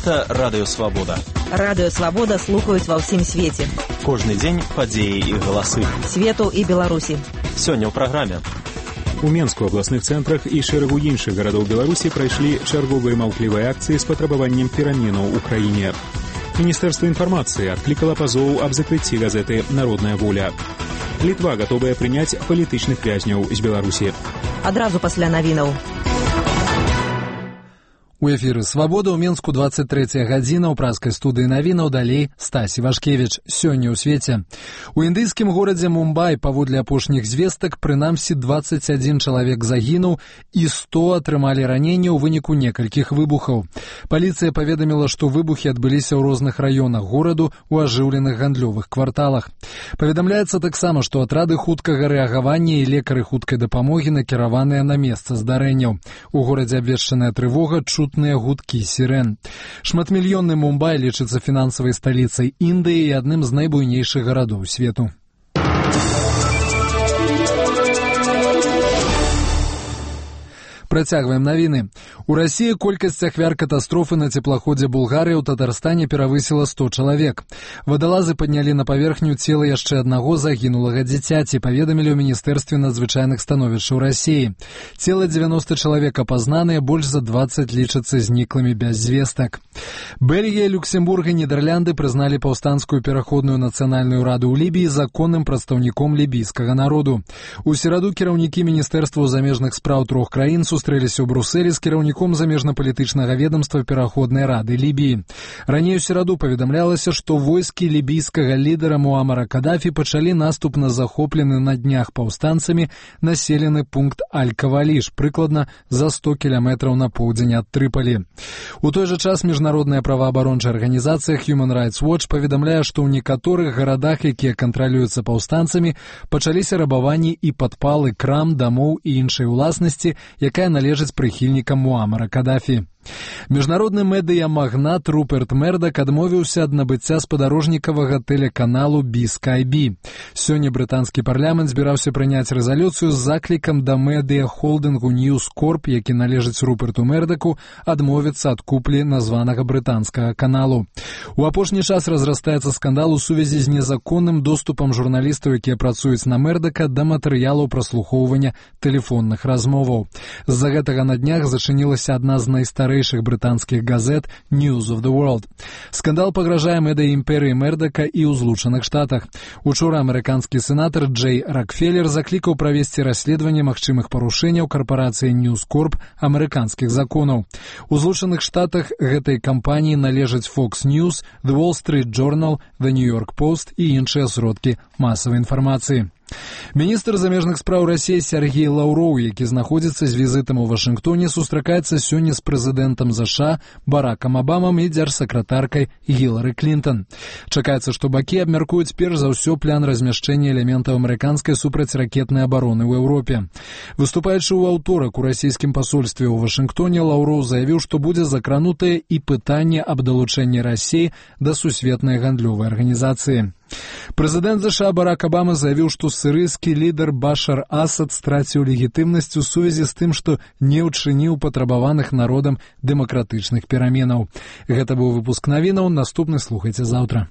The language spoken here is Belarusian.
Гэта Радыё Свабода. Радыё Свабода слухаюць ва ўсім свеце. Кожны дзень падзеі і галасы. Свету і Беларусі. Сёння ў праграме. У Менску, абласных цэнтрах і шэрагу іншых гарадоў Беларусі прайшлі чарговыя маўклівыя акцыі з патрабаваннем пераменаў у краіне. Міністэрства інфармацыі адклікала пазоў аб закрыцці газеты «Народная воля». Літва гатовая прыняць палітычных вязняў з Беларусі. Адразу пасля навінаў. У эфіры «Свабода» ў Менску 23 гадзіна, ў праскай студыі навінаў, далей Стась Івашкевіч. Сёння ў свеце. У індыйскім горадзе Мумбай, паводле апошніх звестак, прынамсі 21 чалавек загінуў і 100 атрымалі раненні ў выніку некалькіх выбухаў. Паліцыя паведаміла, што выбухі адбыліся ў розных раёнах гораду ў ажыўленых гандлёвых кварталах. Паведамляецца таксама, што атрады хуткага рэагавання і лекары хуткай дапамогі накіраваныя на месца здарэнняў. У горадзе абвешчаная трывога, чутныя гудкі сірэн. Шматмільённы Мумбай лічыцца фінансавай сталіцай Індыі і адным з найбуйнейшых гарадоў свету. Працягваем навіны. У Расіі колькасць ахвяр катастрофы на цеплаходзе Булгарыі ў Татарстане перавысіла 100 чалавек. Вадалазы паднялі на паверхню цела яшчэ аднаго загінулага дзіцяці, паведамілі ў Міністэрстве надзвычайных становішчаў Расіі. Цела 90 чалавек апазнаныя, больш за 20 лічацца зніклымі без звестак. Бельгія, Люксембург і Нідерлянды прызналі паўстанцкую пераходную нацыянальную раду ў Лібіі законным прадстаўніком лібійскага народу. У сераду кіраўнікі Міністэрстваў замежных спраў трох краін сустрэліся ў Брусэлі з кіраўніком замежна-палітычнага ведамства Пераходнай рады Лібіі. Раней у сераду паведамлялася, што войскі лібійскага лідара Муамара Кадафі пачалі наступ на захоплены на днях паўстанцамі населены пункт Аль-Каваліш, прыкладна за 100 кіламетраў на поўдзень ад Трыпалі. У той жа час міжнародная праваабарончая арганізацыя Human Rights Watch паведамляе, што ў некаторых гарадах, якія кантралююцца паўстанцамі, пачаліся рабаванні і падпалы крам, дамоў і іншай уласнасці, якая належыць прыхільнікам Муамара Кадафі. Міжнародны медыя-магнат Руперт Мердак адмовіўся ад набыцця спадарожнікавага тэлеканалу BSkyB. Сёння брытанскі парламент збіраўся прыняць рэзалюцыю з заклікам да медыя-холдынгу News Corp, які належыць Руперту Мердаку, адмовіцца ад куплі названага брытанскага каналу. У апошні час разрастаецца скандал у сувязі з незаконным доступам журналістаў, якія працуюць на Мердака, да матэрыялаў праслухоўвання тэлефонных размоваў. З-за гэтага на днях зачынілася адна з найстарэйшых брытанскіх газет News of the World. Скандал пагражае медыа-імперыі Мердака і ў Злучаных Штатах. Учора амерыканскі сенатар Джей Рокфеллер заклікаў правесці расследаванне магчымых парушэнняў карпорацыі News Corp амерыканскіх законаў. У Злучаных Штатах гэтай кампаніі належаць Fox News, The Wall Street Journal, The New York Post і іншыя сродкі масавай інфармацыі. Міністр замежных спраў Расіі Сергей Лаўроў, які знаходзіцца з візітам у Вашынгтоне, сустракаецца сёння з прэзідэнтам ЗША Баракам Абамам і дзяржсакратаркай Гілары Клінтон. Чакаецца, што бакі абмяркуюць перш за ўсё план размяшчэння элементаў амерыканскай супрацьракетнай абароны ў Еўропе. Выступаючы ў аўторак у расійскім пасольстве ў Вашынгтоне, Лаўроў заявіў, што будзе закранутае і пытанне аб далучэнні Расіі да сусветнай гандлёвай арганізацыі. Прэзідэнт ЗША Барак Абама заявіў, што сірыйскі лідар Башар Асад страціў легітымнасць у сувязі з тым, што не ўчыніў патрабаваных народам дэмакратычных пераменаў. Гэта быў выпуск навінаў, наступны слухайце заўтра.